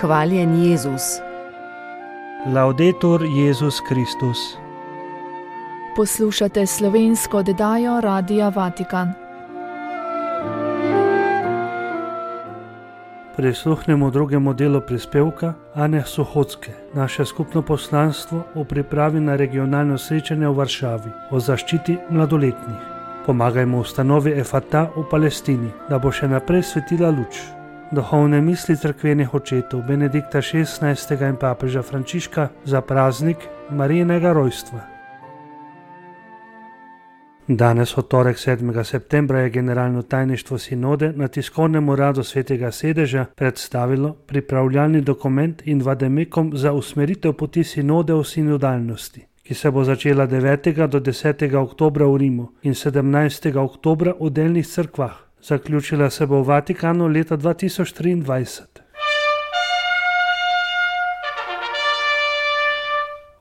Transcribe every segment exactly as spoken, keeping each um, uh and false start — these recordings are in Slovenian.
Hvaljen Jezus. Laudetur Jezus Kristus. Poslušate slovensko oddajo Radia Vatikan. Prisluhnemo drugemu delu prispevka Ane Suhocke, naše skupno poslanstvo v pripravi na regionalno srečanje v Varšavi o zaščiti mladoletnih. Pomagajmo ustanovi Efata v Palestini, da bo še naprej svetila luč. Duhovne misli cerkvenih očetov Benedikta šestnajstega in papeža Frančiška za praznik Marijinega rojstva. Danes, v torek sedmega septembra, je generalno tajništvo sinode na tiskovnem uradu Svetega sedeža predstavilo pripravljalni dokument in vademekom za usmeritev poti sinode v sinodalnosti, ki se bo začela devetega do desetega oktobra v Rimu in sedemnajstega oktobra v delnih cerkvah. Zaključila se bo v Vatikanu leta dva tisoč triindvajset.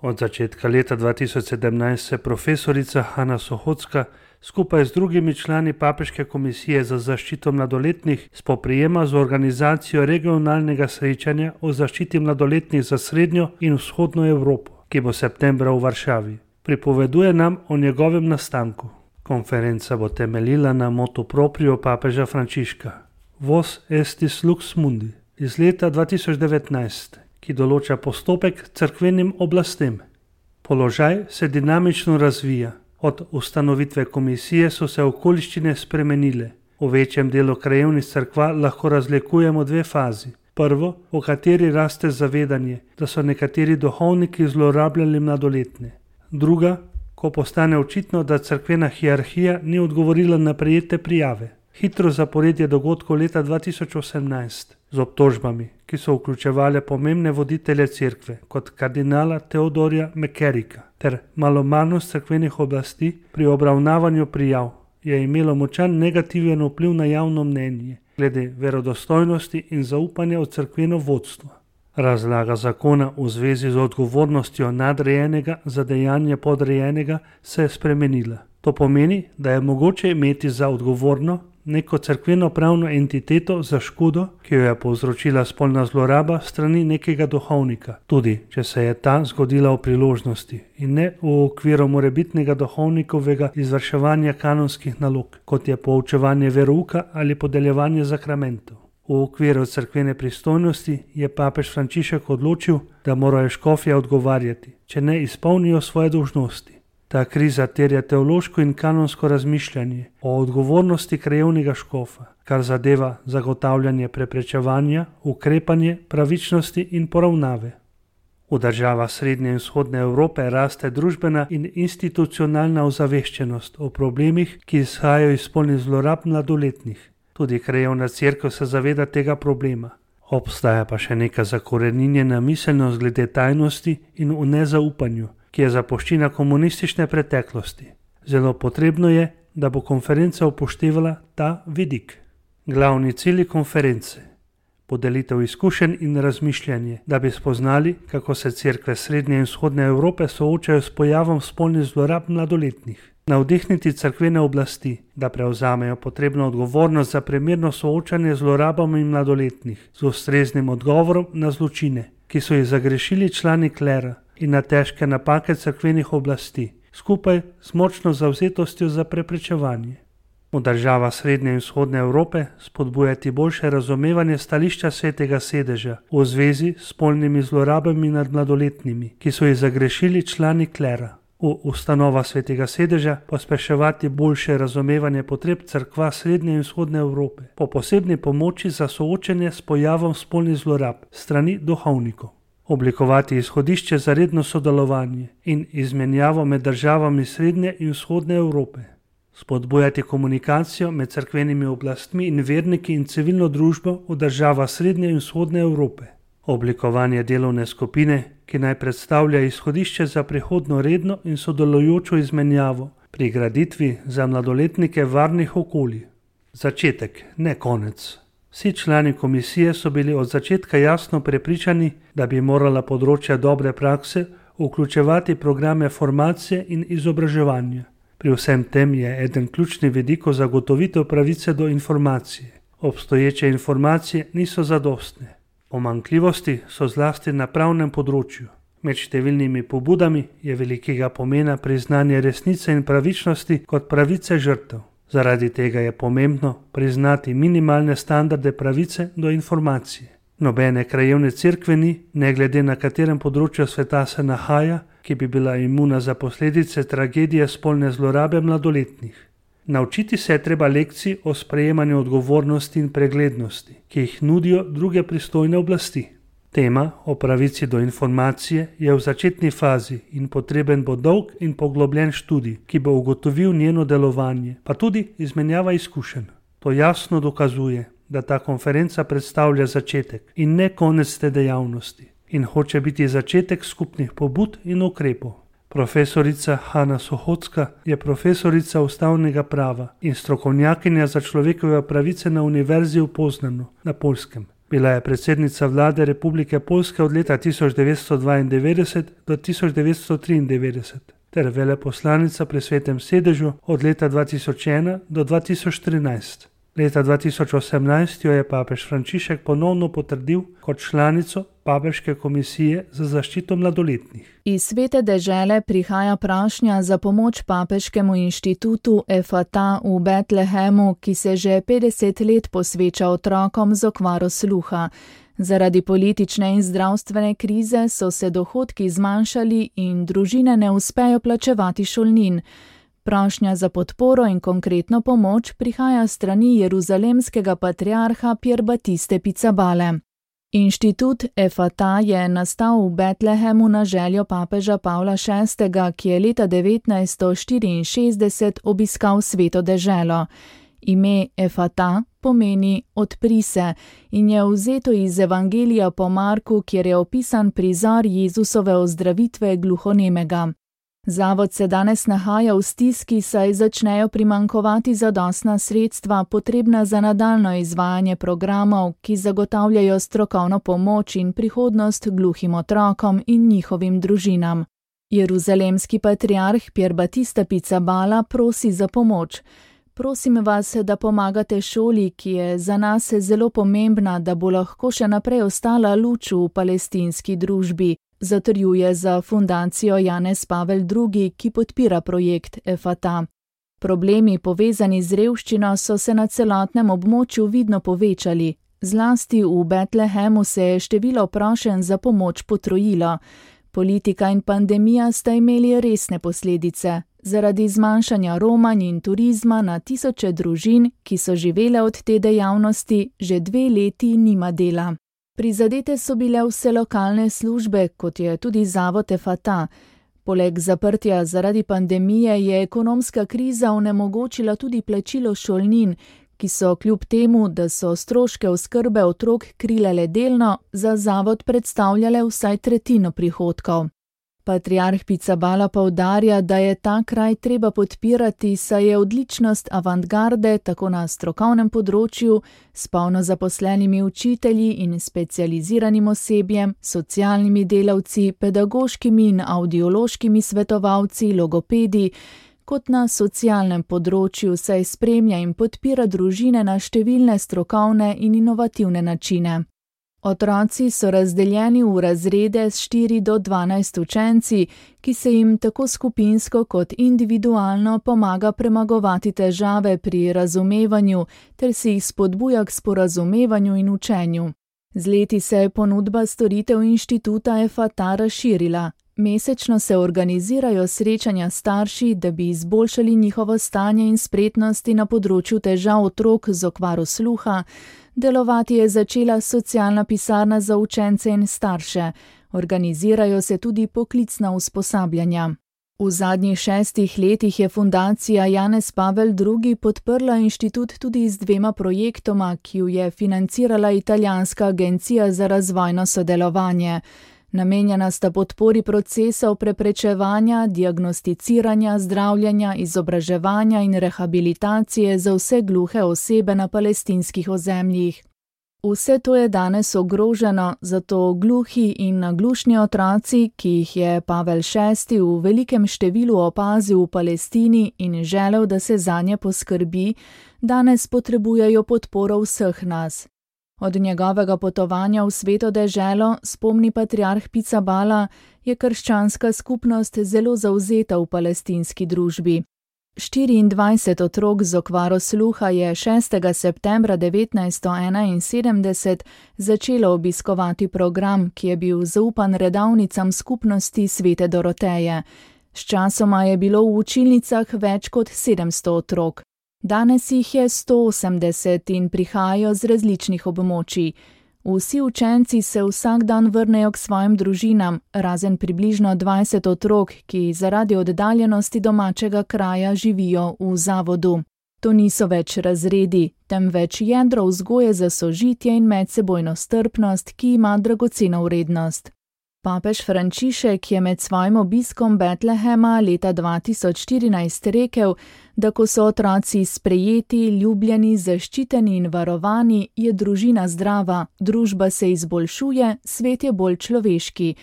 Od začetka leta dva tisoč sedemnajst se profesorica Ana Suhocka skupaj z drugimi člani Papeške komisije za zaščito mladoletnih spoprijema z organizacijo regionalnega srečanja o zaščiti mladoletnih za srednjo in vzhodno Evropo, ki bo septembra v Varšavi. Pripoveduje nam o njegovem nastanku. Konferenca bo temeljila na motu proprio papeža Frančiška Vos estis lux mundi iz leta dva tisoč devetnajst, ki določa postopek cerkvenim oblastem. Položaj se dinamično razvija. Od ustanovitve komisije so se okoliščine spremenile. V večjem delu krajevnih cerkva lahko razlikujemo dve fazi. Prvo, v kateri raste zavedanje, da so nekateri duhovniki zlorabljali mladoletne. Druga, ko postane očitno, da cerkvena hierarhija ni odgovorila na prejete prijave. Hitro zaporedje dogodkov leta dva tisoč osemnajst z obtožbami, ki so vključevale pomembne voditelje cerkve, kot kardinala Teodorja McCarricka, ter malomarnost cerkvenih oblasti pri obravnavanju prijav, je imelo močan negativen vpliv na javno mnenje glede verodostojnosti in zaupanja v cerkveno vodstvo. Razlaga zakona v zvezi z odgovornostjo nadrejenega za dejanje podrejenega se je spremenila. To pomeni, da je mogoče imeti za odgovorno neko cerkveno pravno entiteto za škodo, ki jo je povzročila spolna zloraba strani nekega duhovnika, tudi če se je ta zgodila v priložnosti in ne v okviru morebitnega duhovnikovega izvrševanja kanonskih nalog, kot je poučevanje verouka ali podeljevanje zakramentov. V okviru cerkvene pristojnosti je papež Frančišek odločil, da morajo škofje odgovarjati, če ne izpolnijo svoje dolžnosti. Ta kriza terja teološko in kanonsko razmišljanje o odgovornosti krajevnega škofa, kar zadeva zagotavljanje preprečevanja, ukrepanje, pravičnosti in poravnave. V državah Srednje in Vzhodne Evrope raste družbena in institucionalna ozaveščenost o problemih, ki izhajajo iz spolnih zlorab mladoletnih. Tudi krajevna cerkev se zaveda tega problema. Obstaja pa še neka zakoreninjena miselnost glede tajnosti in v nezaupanju, ki je zapuščina komunistične preteklosti. Zelo potrebno je, da bo konferenca upoštevala ta vidik. Glavni cilji konference: podelitev izkušenj in razmišljanje, da bi spoznali, kako se cerkve Srednje in Vzhodne Evrope soočajo s pojavom spolnih zlorab mladoletnih. Navdihniti cerkvene oblasti, da prevzamejo potrebno odgovornost za primerno soočanje z zlorabami mladoletnih, z ustreznim odgovorom na zločine, ki so jih zagrešili člani klera, in na težke napake cerkvenih oblasti, skupaj s močno zavzetostjo za preprečevanje. V državah Srednje in Vzhodne Evrope spodbujati boljše razumevanje stališča Svetega sedeža v zvezi s spolnimi zlorabami nad mladoletnimi, ki so jih zagrešili člani klera. V ustanova Svetega sedeža pospeševati boljše razumevanje potreb cerkva Srednje in Vzhodne Evrope po posebni pomoči za soočenje s pojavom spolnih zlorab strani duhovnikov. Oblikovati izhodišče za redno sodelovanje in izmenjavo med državami Srednje in Vzhodne Evrope. Spodbujati komunikacijo med cerkvenimi oblastmi in verniki in civilno družbo v državah Srednje in Vzhodne Evrope. Oblikovanje delovne skupine, ki naj predstavlja izhodišče za prihodno redno in sodelujočo izmenjavo pri graditvi za mladoletnike varnih okolij. Začetek, ne konec. Vsi člani komisije so bili od začetka jasno prepričani, da bi morala področja dobre prakse vključevati programe formacije in izobraževanja. Pri vsem tem je eden ključni vidik zagotovitev pravice do informacije. Obstoječe informacije niso zadostne. Pomanjkljivosti so zlasti na pravnem področju. Med številnimi pobudami je velikega pomena priznanje resnice in pravičnosti kot pravice žrtev. Zaradi tega je pomembno priznati minimalne standarde pravice do informacije. Nobene krajevne cerkve ni, ne glede na katerem področju sveta se nahaja, ki bi bila imuna za posledice tragedije spolne zlorabe mladoletnih. Naučiti se je treba lekcij o sprejemanju odgovornosti in preglednosti, ki jih nudijo druge pristojne oblasti. Tema o pravici do informacije je v začetni fazi in potreben bo dolg in poglobljen študij, ki bo ugotovil njeno delovanje, pa tudi izmenjava izkušenj. To jasno dokazuje, da ta konferenca predstavlja začetek in ne konec te dejavnosti in hoče biti začetek skupnih pobud in ukrepov. Profesorica Hana Sohocka je profesorica ustavnega prava in strokovnjakinja za človekove pravice na Univerzi v Poznanu na Poljskem. Bila je predsednica vlade Republike Poljske od leta tisoč devetsto dvaindevetdeset do tisoč devetsto triindevetdeset ter veleposlanica pri Svetem sedežu od leta dva tisoč ena do dva tisoč trinajst. Leta dva tisoč osemnajst jo je papež Frančišek ponovno potrdil kot članico Papeške komisije za zaščito mladoletnih. Iz Svete dežele prihaja prošnja za pomoč Papeškemu inštitutu Efata v Betlehemu, ki se že petdeset let posveča otrokom z okvaro sluha. Zaradi politične in zdravstvene krize so se dohodki zmanjšali in družine ne uspejo plačevati šolnin. Prošnja za podporo in konkretno pomoč prihaja strani jeruzalemskega patriarha Pier Batiste Pizzabale. Inštitut Efata je nastal v Betlehemu na željo papeža Pavla šestega, ki je leta devetnajststo štiriinšestdeset obiskal Sveto deželo. Ime Efata pomeni odpri se in je vzeto iz Evangelija po Marku, kjer je opisan prizor Jezusove ozdravitve gluhonemega. Zavod se danes nahaja v stiski, saj začnejo primanjkovati zadostna sredstva, potrebna za nadaljno izvajanje programov, ki zagotavljajo strokovno pomoč in prihodnost gluhim otrokom in njihovim družinam. Jeruzalemski patriarh Pier Batista Pizzabala prosi za pomoč. Prosim vas, da pomagate šoli, ki je za nas zelo pomembna, da bo lahko še naprej ostala luč v palestinski družbi, zatrjuje za fundacijo Janez Pavel drugi, ki podpira projekt Efata. Problemi povezani z revščino so se na celotnem območju vidno povečali. Zlasti v Betlehemu se je število prošenj za pomoč potrojilo. Politika in pandemija sta imeli resne posledice. Zaradi zmanjšanja romanj in turizma na tisoče družin, ki so živele od te dejavnosti, že dve leti nima dela. Prizadete so bile vse lokalne službe, kot je tudi zavod Efata. Poleg zaprtja zaradi pandemije je ekonomska kriza onemogočila tudi plačilo šolnin, ki so kljub temu, da so stroške oskrbe otrok krile le delno, za zavod predstavljale vsaj tretjino prihodkov. Patriarh Pizzabala poudarja, da je ta kraj treba podpirati, saj je odličnost avantgarde tako na strokovnem področju, s polno zaposlenimi učitelji in specializiranim osebjem, socialnimi delavci, pedagoškimi in audiološkimi svetovalci, logopedi, kot na socialnem področju, saj spremlja in podpira družine na številne strokovne in inovativne načine. Otroci so razdeljeni v razrede s štiri do dvanajst učenci, ki se jim tako skupinsko kot individualno pomaga premagovati težave pri razumevanju ter si jih spodbuja k sporazumevanju in učenju. Z leti se je ponudba storitev inštituta Efata razširila. Mesečno se organizirajo srečanja starši, da bi izboljšali njihovo stanje in spretnosti na področju težav otrok z okvaro sluha. Delovati je začela socialna pisarna za učence in starše. Organizirajo se tudi poklicna usposabljanja. V zadnjih šestih letih je fundacija Janez Pavel drugi podprla inštitut tudi z dvema projektoma, ki ju je financirala italijanska agencija za razvojno sodelovanje. Namenjena sta podpori procesov preprečevanja, diagnosticiranja, zdravljenja, izobraževanja in rehabilitacije za vse gluhe osebe na palestinskih ozemljih. Vse to je danes ogroženo, zato gluhi in naglušni otroci, ki jih je Pavel šesti v velikem številu opazil v Palestini in želel, da se zanje poskrbi, danes potrebujejo podporo vseh nas. Od njegovega potovanja v sveto deželo, spomni patriarh Pizzaballa, je krščanska skupnost zelo zavzeta v palestinski družbi. štiriindvajset otrok z okvaro sluha je šestega septembra devetnajststo enainsedemdeset začelo obiskovati program, ki je bil zaupan redavnicam skupnosti svete Doroteje. Sčasoma je bilo v učilnicah več kot sedemsto otrok. Danes jih je sto osemdeset in prihajajo z različnih območij. Vsi učenci se vsak dan vrnejo k svojim družinam, razen približno dvajset otrok, ki zaradi oddaljenosti domačega kraja živijo v zavodu. To niso več razredi, temveč jedro vzgoje za sožitje in medsebojno strpnost, ki ima dragoceno vrednost. Papež Frančišek je med svojim obiskom Betlehema leta dva tisoč štirinajst rekel, da ko so otroci sprejeti, ljubljeni, zaščiteni in varovani, je družina zdrava, družba se izboljšuje, svet je bolj človeški.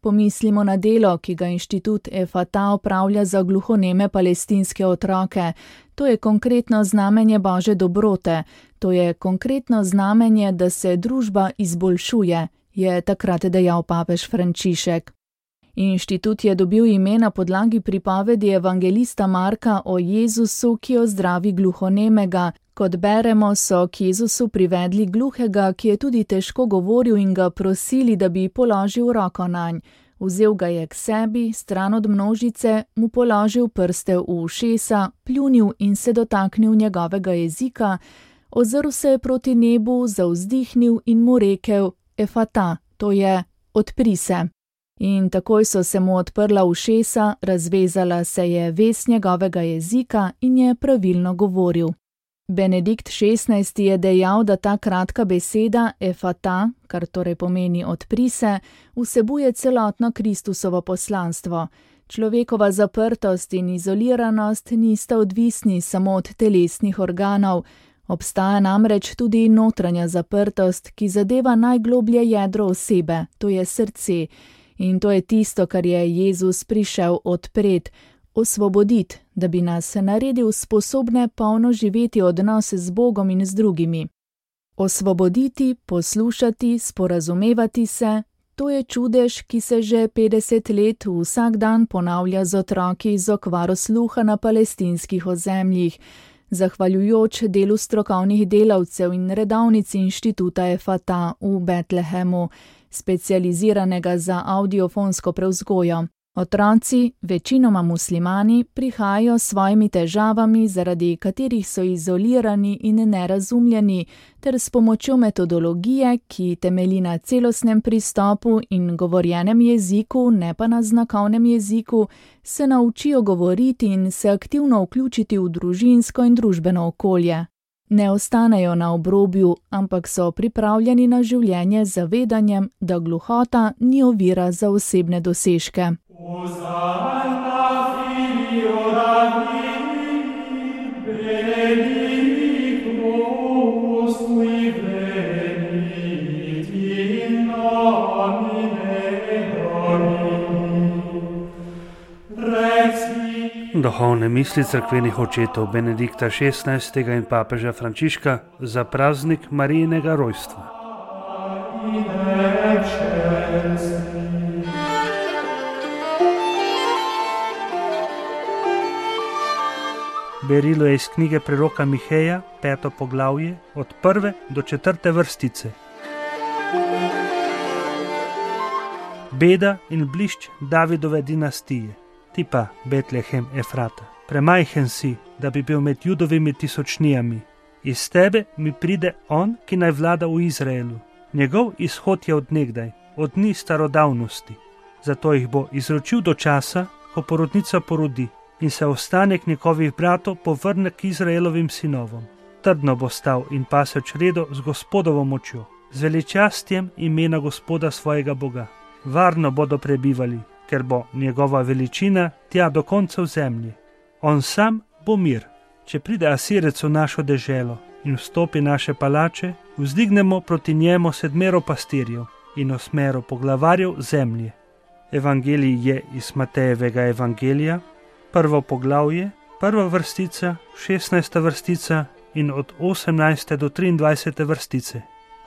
Pomislimo na delo, ki ga inštitut Efata opravlja za gluhoneme palestinske otroke. To je konkretno znamenje Božje dobrote, to je konkretno znamenje, da se družba izboljšuje, je takrat dejal papež Frančišek. Inštitut je dobil ime na podlagi pripovedi evangelista Marka o Jezusu, ki ozdravi gluhonemega. Kot beremo, so k Jezusu privedli gluhega, ki je tudi težko govoril, in ga prosili, da bi položil roko nanj. Vzel ga je k sebi, stran od množice, mu položil prste v ušesa, pljunil in se dotaknil njegovega jezika, ozrl se je proti nebu, zavzdihnil in mu rekel: Efata, to je, odpri se. In takoj so se mu odprla ušesa, razvezala se je vez njegovega jezika in je pravilno govoril. Benedikt šestnajsti je dejal, da ta kratka beseda Efata, kar torej pomeni odpri se, vsebuje celotno Kristusovo poslanstvo. Človekova zaprtost in izoliranost nista odvisni samo od telesnih organov. Obstaja namreč tudi notranja zaprtost, ki zadeva najgloblje jedro osebe, to je srce. In to je tisto, kar je Jezus prišel odpret, osvoboditi, da bi nas naredil sposobne polno živeti odnose z Bogom in z drugimi. Osvoboditi, poslušati, sporazumevati se, to je čudež, ki se že petdeset let vsak dan ponavlja z otroki z okvaro sluha na palestinskih ozemljih, zahvaljujoč delu strokovnih delavcev in redavnici inštituta Efata v Betlehemu, specializiranega za audiofonsko prevzgojo. Otroci, večinoma muslimani, prihajajo s svojimi težavami, zaradi katerih so izolirani in nerazumljeni, ter s pomočjo metodologije, ki temelji na celostnem pristopu in govorjenem jeziku, ne pa na znakovnem jeziku, se naučijo govoriti in se aktivno vključiti v družinsko in družbeno okolje. Ne ostanejo na obrobju, ampak so pripravljeni na življenje z zavedanjem, da gluhota ni ovira za osebne dosežke. Duhovne misli cerkvenih očetov Benedikta šestnajstega in papeža Frančiška za praznik Marijinega rojstva. Berilo je iz knjige preroka Miheja, peto poglavje, od prve do četrte vrstice. Beda in blišč Davidove dinastije. Ti pa, Betlehem Efrata, premajhen si, da bi bil med Judovimi tisočnijami. Iz tebe mi pride on, ki naj vlada v Izraelu. Njegov izhod je od nekdaj, od dni starodavnosti. Zato jih bo izročil do časa, ko porodnica porodi, in se ostanek njegovih bratov povrne k Izraelovim sinovom. Trdno bo stal in pasel čredo z Gospodovo močjo, z veličastjem imena Gospoda svojega Boga. Varno bodo prebivali, ker bo njegova veličina tja do koncev zemlje. On sam bo mir. Če pride Asirec v našo deželo in vstopi naše palače, vzdignemo proti njemu sedmero pastirjev in osmero poglavarjev zemlje. Evangelij je iz Matejevega evangelija, prvo poglavje, prva vrstica, šestnajsta vrstica in od osemnajste do triindvajsete vrstice.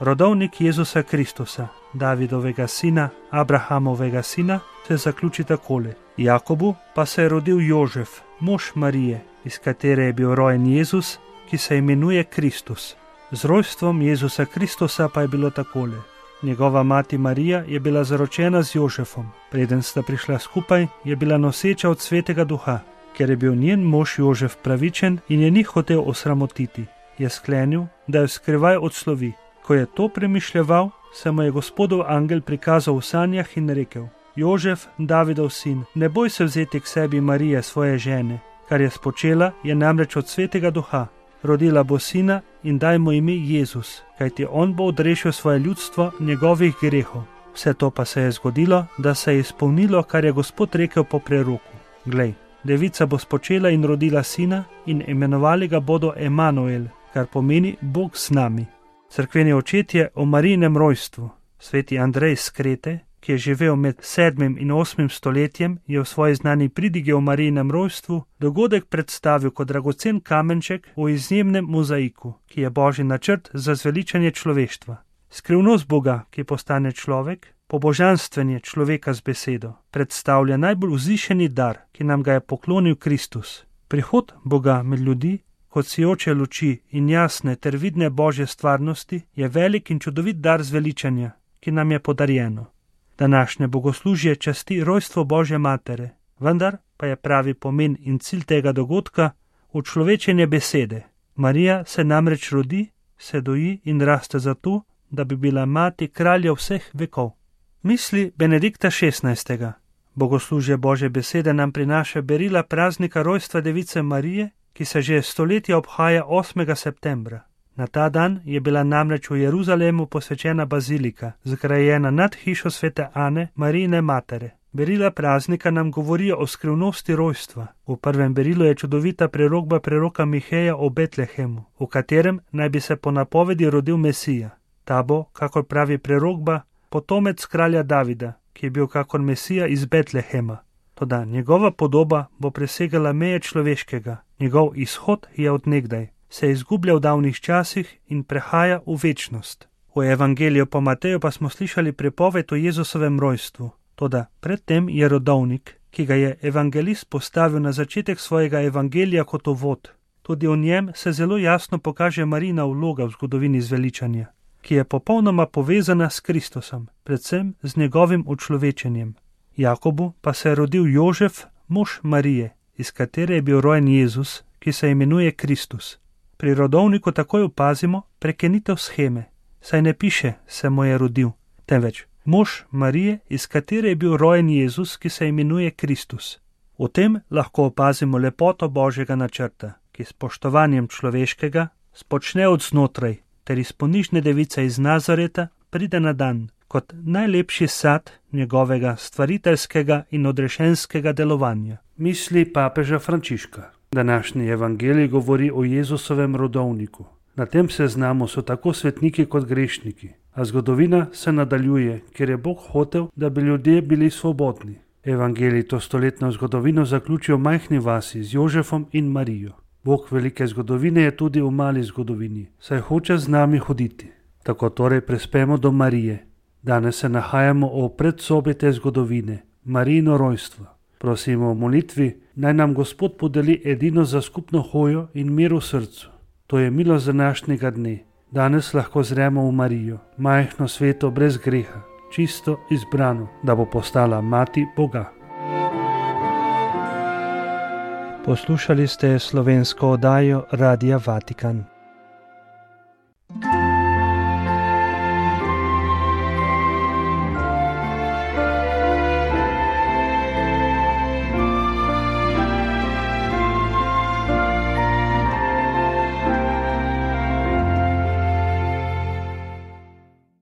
Rodovnik Jezusa Kristusa, Davidovega sina, Abrahamovega sina, se zaključi takole. Jakobu pa se je rodil Jožef, mož Marije, iz katere je bil rojen Jezus, ki se imenuje Kristus. Z rojstvom Jezusa Kristusa pa je bilo takole. Njegova mati Marija je bila zaročena z Jožefom. Preden sta prišla skupaj, je bila noseča od Svetega Duha. Ker je bil njen mož Jožef pravičen in je ni hotel osramotiti, je sklenil, da jo skrivaj odslovi. Ko je to premišljeval, se mu je Gospodov angel prikazal v sanjah in rekel: Jožef, Davidov sin, ne boj se vzeti k sebi Marije, svoje žene. Kar je spočela, je namreč od Svetega Duha. Rodila bo sina in daj mu ime Jezus, kajti on bo odrešil svoje ljudstvo njegovih grehov. Vse to pa se je zgodilo, da se je izpolnilo, kar je Gospod rekel po preroku. Glej, devica bo spočela in rodila sina in imenovali ga bodo Emanuel, kar pomeni Bog z nami. Cerkveni očetje o Marijinem rojstvu. Sveti Andrej iz Krete, ki je živel med sedmim in osmim stoletjem, je v svoji znani pridigi o Marijinem rojstvu dogodek predstavil kot dragocen kamenček v izjemnem mozaiku, ki je božji načrt za zveličanje človeštva. Skrivnost Boga, ki postane človek, pobožanstvenje človeka z besedo, predstavlja najbolj vzvišeni dar, ki nam ga je poklonil Kristus. Prihod Boga med ljudi, kot sijoče luči in jasne ter vidne božje stvarnosti, je velik in čudovit dar zveličanja, ki nam je podarjeno. Današnje bogoslužje časti rojstvo Božje matere, vendar pa je pravi pomen in cilj tega dogodka učlovečenje besede. Marija se namreč rodi, se doji in raste zato, da bi bila mati kralja vseh vekov. Misli Benedikta šestnajstega. Bogoslužje Božje besede nam prinaša berila praznika rojstva device Marije, ki se že stoletja obhaja osmega septembra. Na ta dan je bila namreč v Jeruzalemu posvečena bazilika, zgrajena nad hišo svete Ane, Marijine matere. Berila praznika nam govorijo o skrivnosti rojstva. V prvem berilu je čudovita prerokba preroka Miheja o Betlehemu, v katerem naj bi se po napovedi rodil Mesija. Ta bo, kakor pravi prerokba, potomec kralja Davida, ki je bil kakor Mesija iz Betlehema. Toda njegova podoba bo presegala meje človeškega, njegov izhod je od nekdaj, se izgublja v davnih časih in prehaja v večnost. V evangeliju po Mateju pa smo slišali prepoved o Jezusovem rojstvu. Toda predtem je rodovnik, ki ga je evangelist postavil na začetek svojega evangelija kot uvod. Tudi v njem se zelo jasno pokaže Marijina vloga v zgodovini zveličanja, ki je popolnoma povezana s Kristusom, predvsem z njegovim učlovečenjem. Jakobu pa se je rodil Jožef, mož Marije, iz katere je bil rojen Jezus, ki se imenuje Kristus. Pri rodovniku takoj opazimo prekenitev sheme, saj ne piše se mu je rodil, temveč mož Marije, iz katere je bil rojen Jezus, ki se imenuje Kristus. V tem lahko opazimo lepoto Božjega načrta, ki s spoštovanjem človeškega spočne od znotraj, ter iz ponižne device iz Nazareta pride na dan kot najlepši sad njegovega stvariteljskega in odrešenskega delovanja. Misli papeža Frančiška. Današnji evangelij govori o Jezusovem rodovniku. Na tem seznamu so tako svetniki kot grešniki, a zgodovina se nadaljuje, ker je Bog hotel, da bi ljudje bili svobodni. Evangelij to stoletno zgodovino zaključi v majhni vasi z Jožefom in Marijo. Bog velike zgodovine je tudi v mali zgodovini, saj hoče z nami hoditi. Tako torej prispemo do Marije. Danes se nahajamo v predsobi te zgodovine, Marijino rojstvo. Prosimo v molitvi, naj nam Gospod podeli edino za skupno hojo in mir v srcu. To je milost današnjega dne. Danes lahko zremo v Marijo, majhno sveto brez greha, čisto izbrano, da bo postala mati Boga. Poslušali ste slovensko oddajo Radia Vatikan.